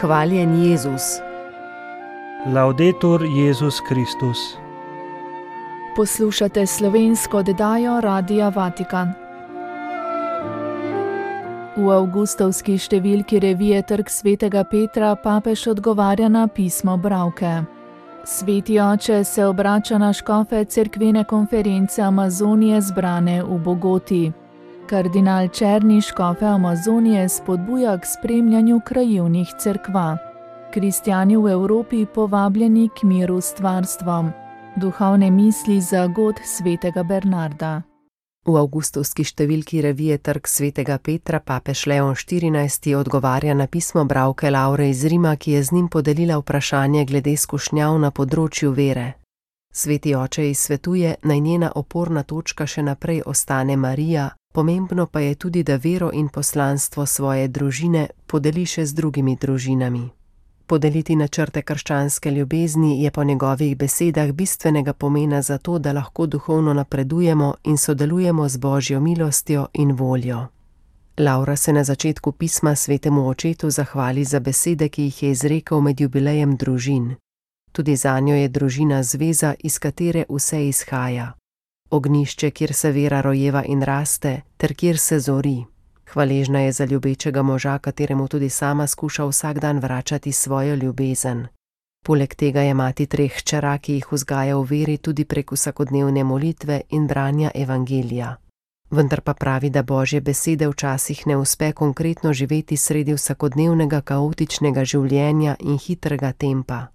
Hvaljen Jezus. Laudetur Jezus Kristus. Poslušate slovensko oddajo Radia Vatikan. V avgustovski številki revije Trg svetega Petra papež odgovarja na pismo bralke. Sveti oče se obrača na škofe cerkvene konference Amazonije zbrane v Bogoti. Kardinal Černi škofe Amazonije spodbuja k spremljanju krajevnih cerkva. Kristjani v Evropi povabljeni k miru s stvarstvom. Duhovne misli za god svetega Bernarda. V avgustovski številki revije Trg svetega Petra papež Leon XIV. Odgovarja na pismo bralke Laure iz Rima, ki je z njim podelila vprašanje glede skušnjav na področju vere. Sveti oče ji svetuje, naj njena oporna točka še naprej ostane Marija, pomembno pa je tudi, da vero in poslanstvo svoje družine podeli še z drugimi družinami. Podeliti načrte krščanske ljubezni je po njegovih besedah bistvenega pomena za to, da lahko duhovno napredujemo in sodelujemo z Božjo milostjo in voljo. Laura se na začetku pisma svetemu očetu zahvali za besede, ki jih je izrekel med jubilejem družin. Tudi zanjo je družina zveza, iz katere vse izhaja. Ognišče, kjer se vera rojeva in raste, ter kjer se zori. Hvaležna je za ljubečega moža, kateremu tudi sama skuša vsak dan vračati svojo ljubezen. Poleg tega je mati 3 hčera, ki jih vzgaja v veri tudi prek vsakodnevne molitve in branja evangelija. Vendar pa pravi, da Božje besede včasih ne uspe konkretno živeti sredi vsakodnevnega kaotičnega življenja in hitrega tempa.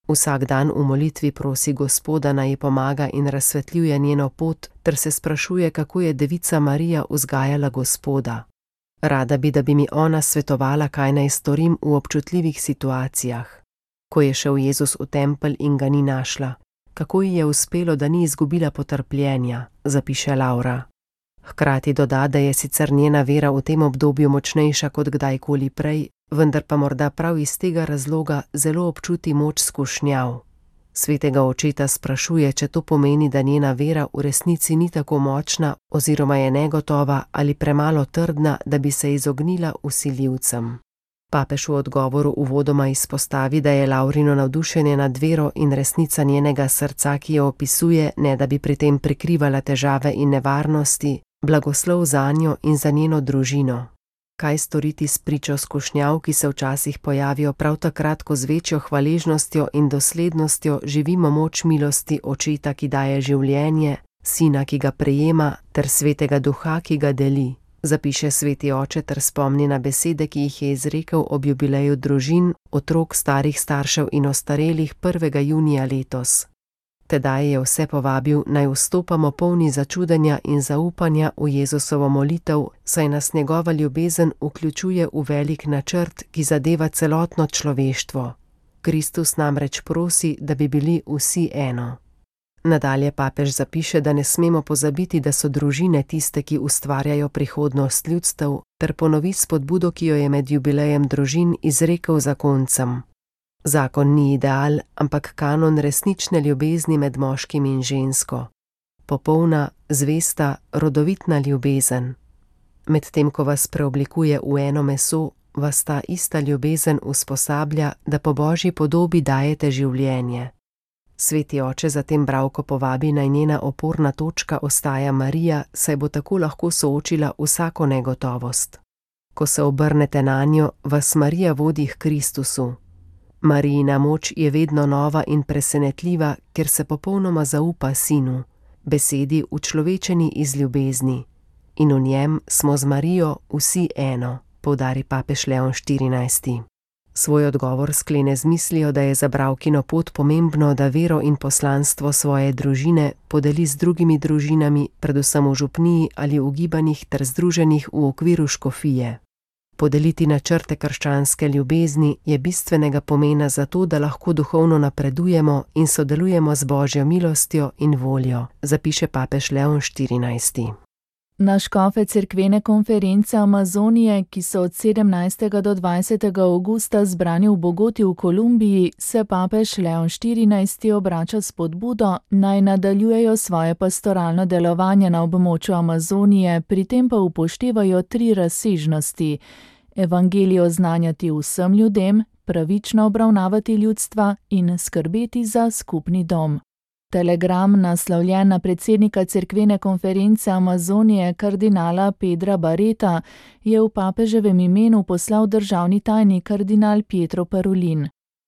Vsak dan v molitvi prosi Gospoda, naj ji pomaga in razsvetljuje njeno pot, ter se sprašuje, kako je devica Marija vzgajala Gospoda. Rada bi, da bi mi ona svetovala, kaj naj storim v občutljivih situacijah. Ko je šel Jezus v tempelj in ga ni našla, kako ji je uspelo, da ni izgubila potrpljenja, zapiše Laura. Hkrati doda, da je sicer njena vera v tem obdobju močnejša kot kdajkoli prej, vendar pa morda prav iz tega razloga zelo občuti moč skušnjav. Svetega očeta sprašuje, če to pomeni, da njena vera v resnici ni tako močna oziroma je negotova ali premalo trdna, da bi se izognila vsiljivcem. Papež v odgovoru uvodoma izpostavi, da je Laurino navdušenje nad vero in resnica njenega srca, ki jo opisuje, ne da bi pri tem prikrivala težave in nevarnosti, blagoslov zanjo in za njeno družino. Kaj storiti s pričo skušnjav, ki se včasih pojavijo prav takrat, ko z večjo hvaležnostjo in doslednostjo živimo moč milosti očeta, ki daje življenje, sina, ki ga prejema, ter svetega duha, ki ga deli, zapiše sveti oče ter spomni na besede, ki jih je izrekel ob jubileju družin, otrok, starih staršev in ostarelih 1. junija letos. Tedaj je vse povabil, naj vstopamo polni začudenja in zaupanja v Jezusovo molitev, saj nas njegova ljubezen vključuje v velik načrt, ki zadeva celotno človeštvo. Kristus namreč prosi, da bi bili vsi eno. Nadalje papež zapiše, da ne smemo pozabiti, da so družine tiste, ki ustvarjajo prihodnost ljudstev, ter ponovi spodbudo, ki jo je med jubilejem družin izrekel zakoncem. Zakon ni ideal, ampak kanon resnične ljubezni med moškim in žensko. Popolna, zvesta, rodovitna ljubezen. Medtem ko vas preoblikuje v eno meso, vas ta ista ljubezen usposablja, da po Božji podobi dajete življenje. Sveti oče zatem bralko povabi, naj njena oporna točka ostaja Marija, saj bo tako lahko soočila vsako negotovost. Ko se obrnete nanjo, vas Marija vodi k Kristusu. Marijina moč je vedno nova in presenetljiva, ker se popolnoma zaupa sinu, besedi učlovečeni iz ljubezni. In v njem smo z Marijo vsi eno, poudari papež Leon XIV. Svoj odgovor sklene z mislijo, da je za bralkino pot pomembno, da vero in poslanstvo svoje družine podeli z drugimi družinami, predvsem v župniji ali v gibanjih ter združenih v okviru škofije. Podeliti načrte krščanske ljubezni je bistvenega pomena za to, da lahko duhovno napredujemo in sodelujemo z Božjo milostjo in voljo, zapiše papež Leon XIV. Na škofe cerkvene konference Amazonije, ki so od 17. do 20. avgusta zbrani v Bogoti v Kolumbiji, se papež Leon XIV. Obrača s spodbudo, naj nadaljujejo svoje pastoralno delovanje na območju Amazonije, pri tem pa upoštevajo 3 razsežnosti: evangelijo oznanjati vsem ljudem, pravično obravnavati ljudstva in skrbeti za skupni dom. Telegram, naslovljen na predsednika cerkvene konference Amazonije kardinala Pedra Barreta, je v papeževem imenu poslal državni tajnik kardinal Pietro Parolin.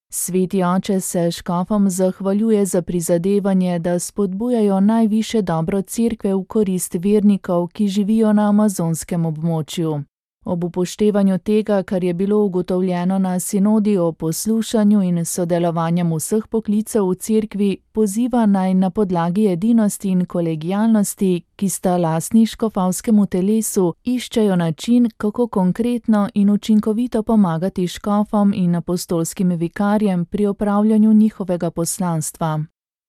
Sveti oče se škofom zahvaljuje za prizadevanje, da spodbujajo najvišje dobro cerkve v korist vernikov, ki živijo na amazonskem območju. Ob upoštevanju tega, kar je bilo ugotovljeno na sinodi o poslušanju in sodelovanjem vseh poklicev v cerkvi, poziva naj na podlagi edinosti in kolegialnosti, ki sta lastni škofovskemu telesu, iščejo način, kako konkretno in učinkovito pomagati škofom in apostolskim vikarjem pri opravljanju njihovega poslanstva.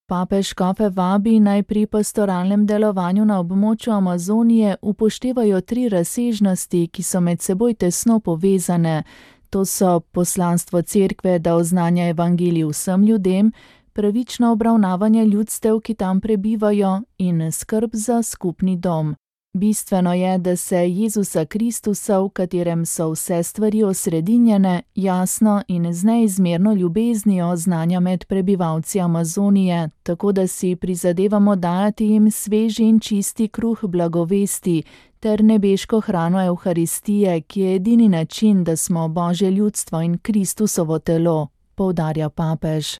Papež škofe vabi naj pri pastoralnem delovanju na območju Amazonije upoštevajo 3 razsežnosti, ki so med seboj tesno povezane. To so poslanstvo cerkve, da oznanja evangelij vsem ljudem, pravično obravnavanje ljudstev, ki tam prebivajo, in skrb za skupni dom. Bistveno je, da se Jezusa Kristusa, v katerem so vse stvari osredinjene, jasno in z neizmerno ljubeznijo oznanja med prebivalci Amazonije, tako da si prizadevamo dajati jim sveži in čisti kruh blagovesti ter nebeško hrano Evharistije, ki je edini način, da smo Božje ljudstvo in Kristusovo telo, poudarja papež.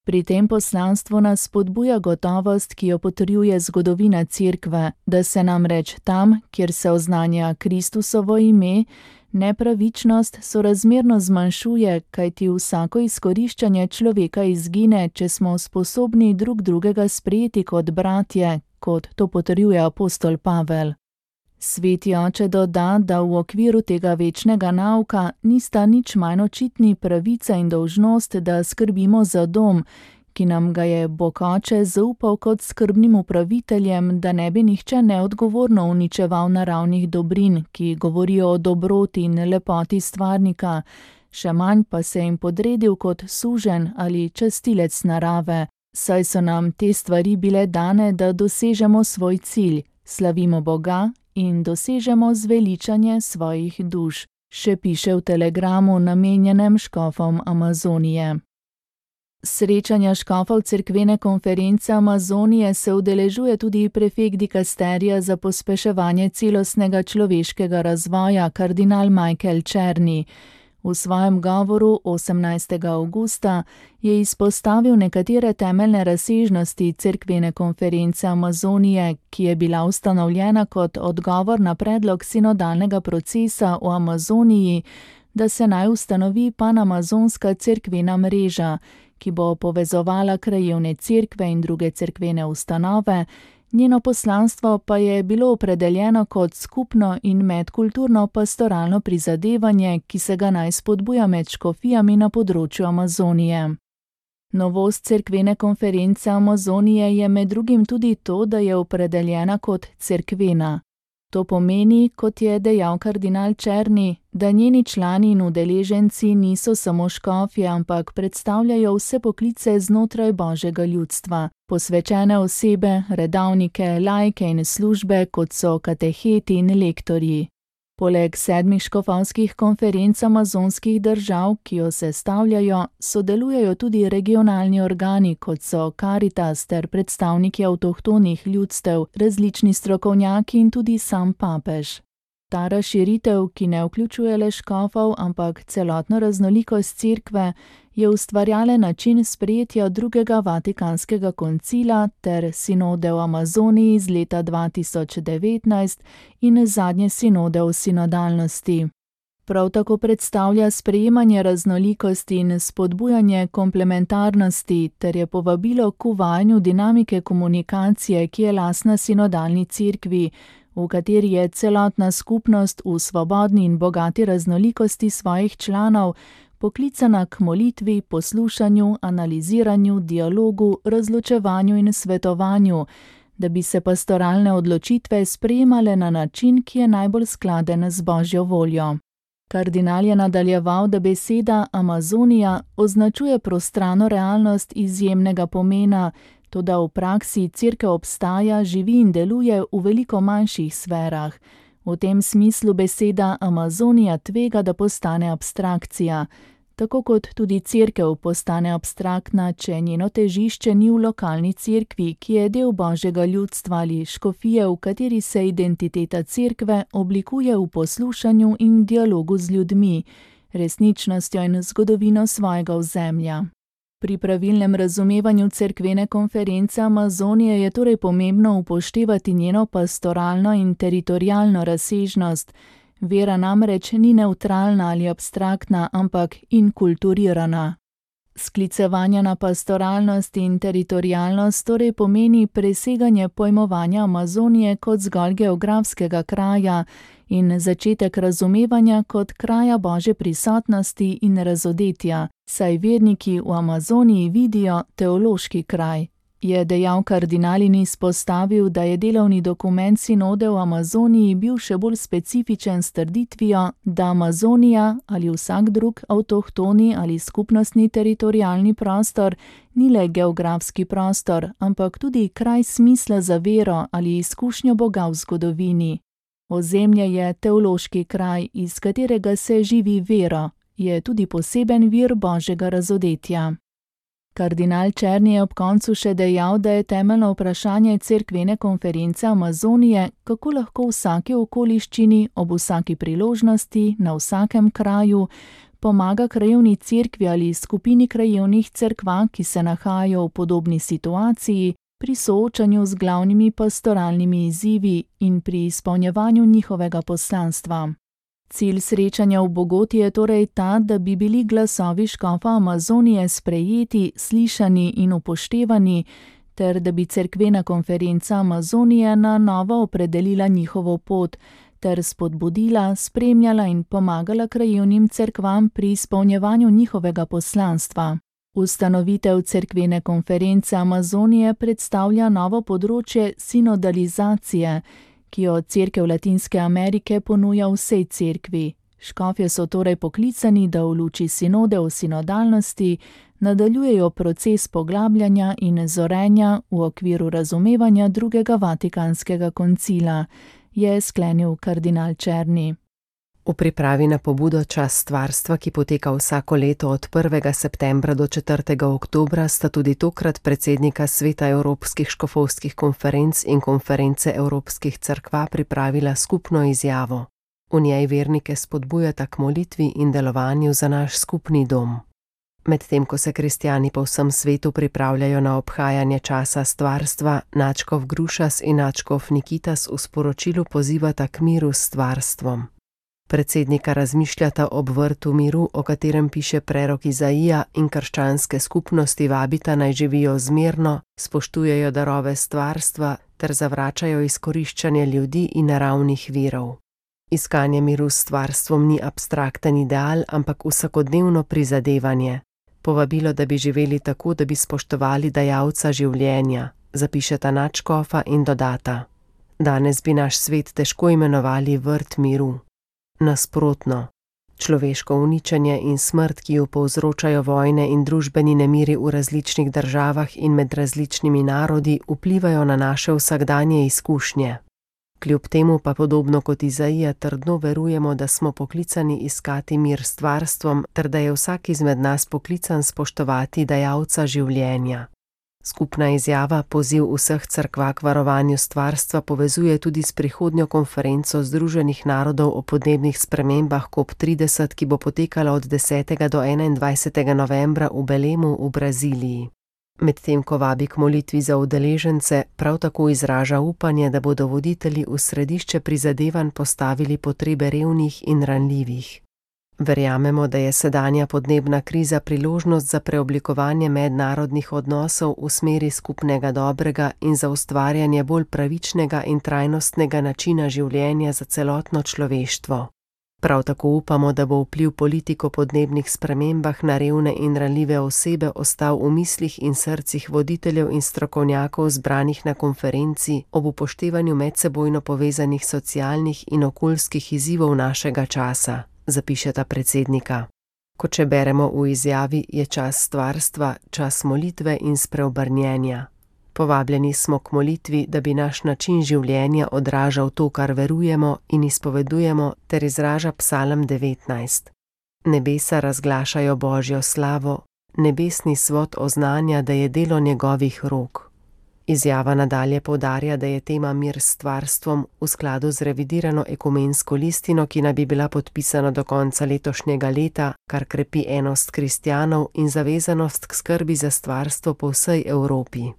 Pri tem poslanstvu nas spodbuja gotovost, ki jo potrjuje zgodovina cerkve, da se namreč tam, kjer se oznanja Kristusovo ime, nepravičnost sorazmerno zmanjšuje, kajti vsako izkoriščanje človeka izgine, če smo sposobni drug drugega sprejeti kot bratje, kot to potrjuje apostol Pavel. Sveti oče doda, da v okviru tega večnega nauka nista nič manj očitni pravica in dolžnost, da skrbimo za dom, ki nam ga je Bog oče zaupal kot skrbnim upraviteljem, da ne bi nihče neodgovorno uničeval naravnih dobrin, ki govorijo o dobroti in lepoti stvarnika, še manj pa se jim podredil kot suženj ali častilec narave, saj so nam te stvari bile dane, da dosežemo svoj cilj, slavimo Boga in dosežemo zveličanje svojih duš, še piše v telegramu namenjenem škofom Amazonije. Srečanja škofov cerkvene konference Amazonije se udeležuje tudi prefekt dikasterija za pospeševanje celostnega človeškega razvoja kardinal Michael Czerny. V svojem govoru 18. avgusta je izpostavil nekatere temeljne razsežnosti cerkvene konference Amazonije, ki je bila ustanovljena kot odgovor na predlog sinodalnega procesa v Amazoniji, da se naj ustanovi panamazonska cerkvena mreža, ki bo povezovala krajevne cerkve in druge cerkvene ustanove. Njeno poslanstvo pa je bilo opredeljeno kot skupno in medkulturno pastoralno prizadevanje, ki se ga naj spodbuja med škofijami na področju Amazonije. Novost cerkvene konference Amazonije je med drugim tudi to, da je opredeljena kot cerkvena. To pomeni, kot je dejal kardinal Czerny, da njeni člani in udeleženci niso samo škofje, ampak predstavljajo vse poklice znotraj Božjega ljudstva, posvečene osebe, redavnike, laike in službe, kot so kateheti in lektorji. Poleg 7 škofovskih konferenc amazonskih držav, ki jo sestavljajo, sodelujejo tudi regionalni organi, kot so Caritas ter predstavniki avtohtonih ljudstev, različni strokovnjaki in tudi sam papež. Ta razširitev, ki ne vključuje le škofov, ampak celotno raznolikost cerkve, je ustvarjalen način sprejetja drugega Vatikanskega koncila ter sinode v Amazoniji iz leta 2019 in zadnje sinode o sinodalnosti. Prav tako predstavlja sprejemanje raznolikosti in spodbujanje komplementarnosti ter je povabilo k uvajanju dinamike komunikacije, ki je lastna sinodalni cerkvi, v kateri je celotna skupnost v svobodni in bogati raznolikosti svojih članov poklicana k molitvi, poslušanju, analiziranju, dialogu, razločevanju in svetovanju, da bi se pastoralne odločitve sprejemale na način, ki je najbolj skladen z Božjo voljo. Kardinal je nadaljeval, da beseda Amazonija označuje prostrano realnost izjemnega pomena, toda v praksi cerkev obstaja, živi in deluje v veliko manjših sferah. V tem smislu beseda Amazonija tvega, da postane abstrakcija. Tako kot tudi cerkev postane abstraktna, če njeno težišče ni v lokalni cerkvi, ki je del božjega ljudstva ali škofije, v kateri se identiteta cerkve oblikuje v poslušanju in dialogu z ljudmi, resničnostjo in zgodovino svojega ozemlja. Pri pravilnem razumevanju cerkvene konference Amazonije je torej pomembno upoštevati njeno pastoralno in teritorialno razsežnost. Vera namreč ni nevtralna ali abstraktna, ampak inkulturirana. Sklicevanje na pastoralnost in teritorialnost torej pomeni preseganje pojmovanja Amazonije kot zgolj geografskega kraja in začetek razumevanja kot kraja Božje prisotnosti in razodetja, saj verniki v Amazoniji vidijo teološki kraj. Je dejal kardinal in izpostavil, da je delovni dokument sinode v Amazoniji bil še bolj specifičen s trditvijo, da Amazonija ali vsak drug avtohtoni ali skupnostni teritorialni prostor ni le geografski prostor, ampak tudi kraj smisla za vero ali izkušnjo Boga v zgodovini. Ozemlje je teološki kraj, iz katerega se živi vero, je tudi poseben vir Božjega razodetja. Kardinal Černi je ob koncu še dejal, da je temeljno vprašanje cerkvene konference Amazonije, kako lahko v vsaki okoliščini, ob vsaki priložnosti, na vsakem kraju, pomaga krajevni cerkvi ali skupini krajevnih cerkva, ki se nahajajo v podobni situaciji, pri soočanju z glavnimi pastoralnimi izzivi in pri izpolnjevanju njihovega poslanstva. Cilj srečanja v Bogoti je torej ta, da bi bili glasovi škofa Amazonije sprejeti, slišani in upoštevani, ter da bi cerkvena konferenca Amazonije na novo opredelila njihovo pot, ter spodbudila, spremljala in pomagala krajevnim cerkvam pri izpolnjevanju njihovega poslanstva. Ustanovitev cerkvene konference Amazonije predstavlja novo področje sinodalizacije, ki jo cerkev Latinske Amerike ponuja vsej cerkvi. Škofje so torej poklicani, da v luči sinode o sinodalnosti nadaljujejo proces poglabljanja in zorenja v okviru razumevanja drugega Vatikanskega koncila, je sklenil kardinal Černi. V pripravi na pobudo Čas stvarstva, ki poteka vsako leto od 1. septembra do 4. oktobra, sta tudi tokrat predsednika Sveta Evropskih škofovskih konferenc in Konference Evropskih cerkva pripravila skupno izjavo. V njej vernike spodbujata k molitvi in delovanju za naš skupni dom. Medtem ko se kristjani po vsem svetu pripravljajo na obhajanje časa stvarstva, nadškof Grušas in nadškof Nikitas v sporočilu pozivata k miru s stvarstvom. Predsednika razmišljata ob vrtu miru, o katerem piše prerok Izaija, in krščanske skupnosti vabita naj živijo zmerno, spoštujejo darove stvarstva ter zavračajo izkoriščanje ljudi in naravnih virov. Iskanje miru s stvarstvom ni abstrakten ideal, ampak vsakodnevno prizadevanje. Povabilo, da bi živeli tako, da bi spoštovali dajalca življenja, zapišeta nadškofa in dodata: danes bi naš svet težko imenovali vrt miru. Nasprotno, človeško uničenje in smrt, ki jo povzročajo vojne in družbeni nemiri v različnih državah in med različnimi narodi, vplivajo na naše vsakdanje izkušnje. Kljub temu pa podobno kot Izaija trdno verujemo, da smo poklicani iskati mir s stvarstvom, ter da je vsak izmed nas poklican spoštovati dajalca življenja. Skupna izjava, poziv vseh cerkva k varovanju stvarstva, povezuje tudi s prihodnjo konferenco Združenih narodov o podnebnih spremembah COP30, ki bo potekala od 10. do 21. novembra v Belemu v Braziliji. Medtem ko vabi k molitvi za udeležence, prav tako izraža upanje, da bodo voditelji v središče prizadevanj postavili potrebe revnih in ranljivih. Verjamemo, da je sedanja podnebna kriza priložnost za preoblikovanje mednarodnih odnosov v smeri skupnega dobrega in za ustvarjanje bolj pravičnega in trajnostnega načina življenja za celotno človeštvo. Prav tako upamo, da bo vpliv politik o podnebnih spremembah na revne in ranljive osebe ostal v mislih in srcih voditeljev in strokovnjakov zbranih na konferenci ob upoštevanju medsebojno povezanih socialnih in okoljskih izzivov našega časa, zapišeta predsednika. Kot če beremo v izjavi, je čas stvarstva, čas molitve in spreobrnjenja. Povabljeni smo k molitvi, da bi naš način življenja odražal to, kar verujemo in izpovedujemo, ter izraža Psalm 19. Nebesa razglašajo Božjo slavo, nebesni svod oznanja, da je delo njegovih rok. Izjava nadalje poudarja, da je tema mir s stvarstvom v skladu z revidirano ekumensko listino, ki naj bi bila podpisana do konca letošnjega leta, kar krepi enost kristjanov in zavezanost k skrbi za stvarstvo po vsej Evropi.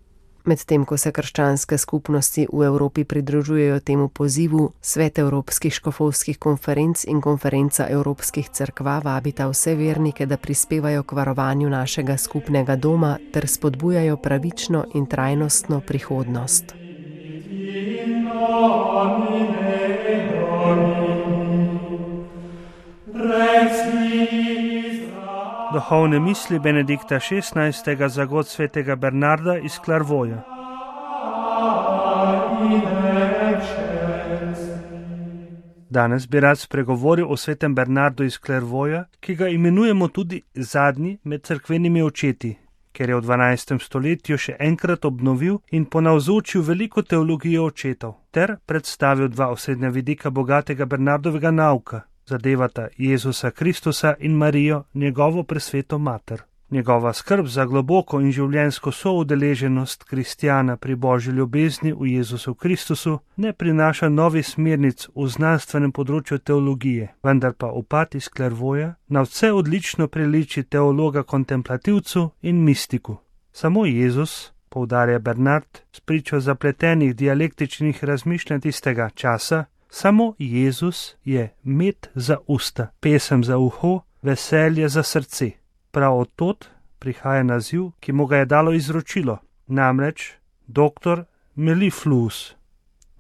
Medtem ko se krščanske skupnosti v Evropi pridružujejo temu pozivu, Svet Evropskih škofovskih konferenc in Konferenca Evropskih cerkva vabita vse vernike, da prispevajo k varovanju našega skupnega doma ter spodbujajo pravično in trajnostno prihodnost. Duhovne misli Benedikta XVI. Za god svetega Bernarda iz Clairvauja. Danes bi rad spregovoril o svetem Bernardu iz Clairvauja, ki ga imenujemo tudi zadnji med cerkvenimi očeti, ker je v 12. stoletju še enkrat obnovil in ponavzočil veliko teologijo očetov, ter predstavil dva osrednja vidika bogatega Bernardovega nauka. Zadevata Jezusa Kristusa in Marijo, njegovo presveto mater. Njegova skrb za globoko in življenjsko soudeleženost kristjana pri Božji ljubezni v Jezusu Kristusu ne prinaša novih smernic v znanstvenem področju teologije, vendar pa upad iz Clairvauja na vse odlično priliči teologa kontemplativcu in mistiku. Samo Jezus, poudarja Bernard, spričo zapletenih dialektičnih razmišljanj tistega časa, samo Jezus je med za usta, pesem za uho, veselje za srce. Prav od tod prihaja naziv, ki mu ga je dalo izročilo, namreč Doktor Mellifluus.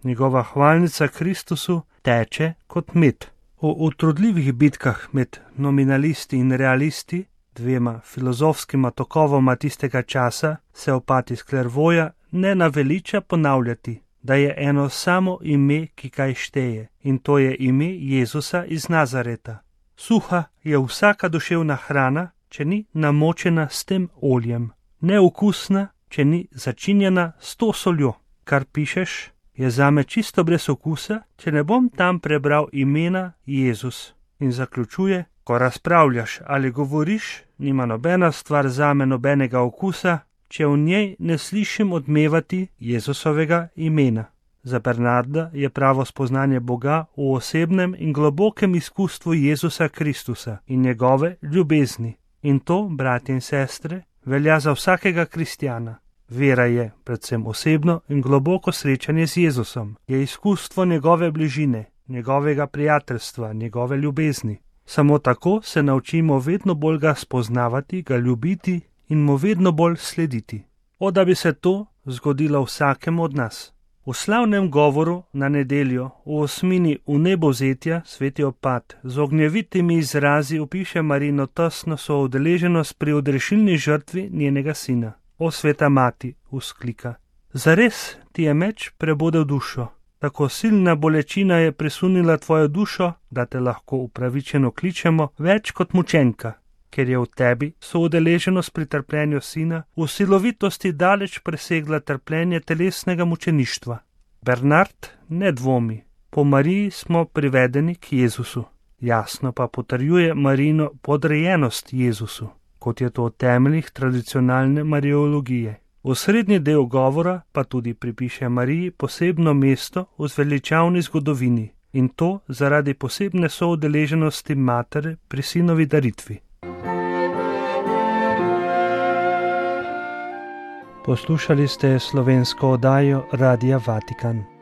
Njegova hvalnica Kristusu teče kot med. V utrudljivih bitkah med nominalisti in realisti, dvema filozofskima tokovoma tistega časa, se opad iz Clairvauja ne naveliča ponavljati, da je eno samo ime, ki kaj šteje, in to je ime Jezusa iz Nazareta. Suha je vsaka duševna hrana, če ni namočena s tem oljem, neokusna, če ni začinjena s to soljo. Kar pišeš, je zame čisto brez okusa, če ne bom tam prebral imena Jezus. In zaključuje, ko razpravljaš ali govoriš, nima nobena stvar zame nobenega okusa, če v njej ne slišim odmevati Jezusovega imena. Za Bernarda je pravo spoznanje Boga v osebnem in globokem izkustvu Jezusa Kristusa in njegove ljubezni. In to, bratje in sestre, velja za vsakega kristjana. Vera je predvsem osebno in globoko srečanje z Jezusom, je izkustvo njegove bližine, njegovega prijateljstva, njegove ljubezni. Samo tako se naučimo vedno bolj ga spoznavati, ga ljubiti in mu vedno bolj slediti. O, da bi se to zgodilo vsakemu od nas. V slavnem govoru na nedeljo v osmini vnebovzetja sveti opad z ognjevitimi izrazi opiše Marino tesno soudeleženost pri odrešilni žrtvi njenega sina. O, sveta mati, vzklika, zares ti je meč prebodel dušo, tako silna bolečina je presunila tvojo dušo, da te lahko upravičeno kličemo več kot mučenka, ker je v tebi soudeleženost pri trpljenju sina v silovitosti daleč presegla trpljenje telesnega mučeništva. Bernard ne dvomi, po Mariji smo privedeni k Jezusu. Jasno pa potrjuje Marijino podrejenost Jezusu, kot je to v temeljih tradicionalne mariologije. V srednji del govora pa tudi pripiše Mariji posebno mesto v zveličavni zgodovini, in to zaradi posebne soudeleženosti matere pri sinovi daritvi. Poslušali ste slovensko oddajo Radia Vatikan.